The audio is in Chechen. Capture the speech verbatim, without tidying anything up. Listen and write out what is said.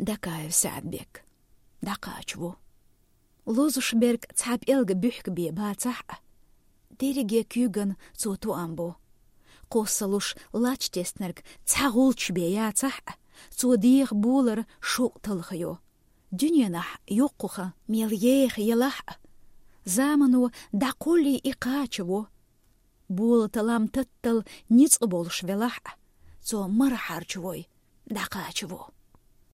Дакаев Саадбек дӀакхача во. Лозуш берг цхьа пӀелг буьхкабе бацахь а, дерриге куьйган цо тоам бо. Кхоссалуш лач теснарг цхьа гӀулч бе яцахь а, цо деха болар шовкъ талхайо. Дуьненахь йоккхуха мел еха елахь а, замано дӀакхоллий и кхача во. Болаталам таттал ницкъ болуш велахь а, цо мара хьарча вой дӀакхача во.